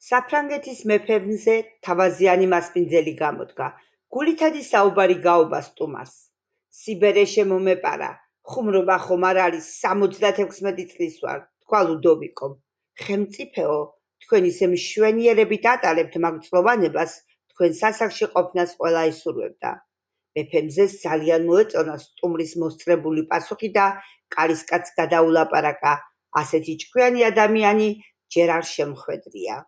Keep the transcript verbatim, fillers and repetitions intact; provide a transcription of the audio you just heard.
საფრანგეთის მეფემზე თავაზიანი მასპინძელი გამოდგა. გულითადი საუბარი გაობა სტუმარს. სიბერე შემომეპარა. ხუმრობა ხომ არ არის, სამოცდათექვსმეტი წლის ვარ, თქვა ლუდოვიკომ. ხელმწიფეო, თქვენ ისე მშვენიერებით ატარებთ მაგ წყლოვანებას, თქვენ სასახლში ყოფნას ყველა ისურვებდა. მეფემზეს ძალიან მოეწონა სტუმრის მოსწრებული პასუხი და კარისკაცს გადაულაპარაკა. ასეთი ჭკვიანი ადამიანი ჯერ არ შემხვედრია.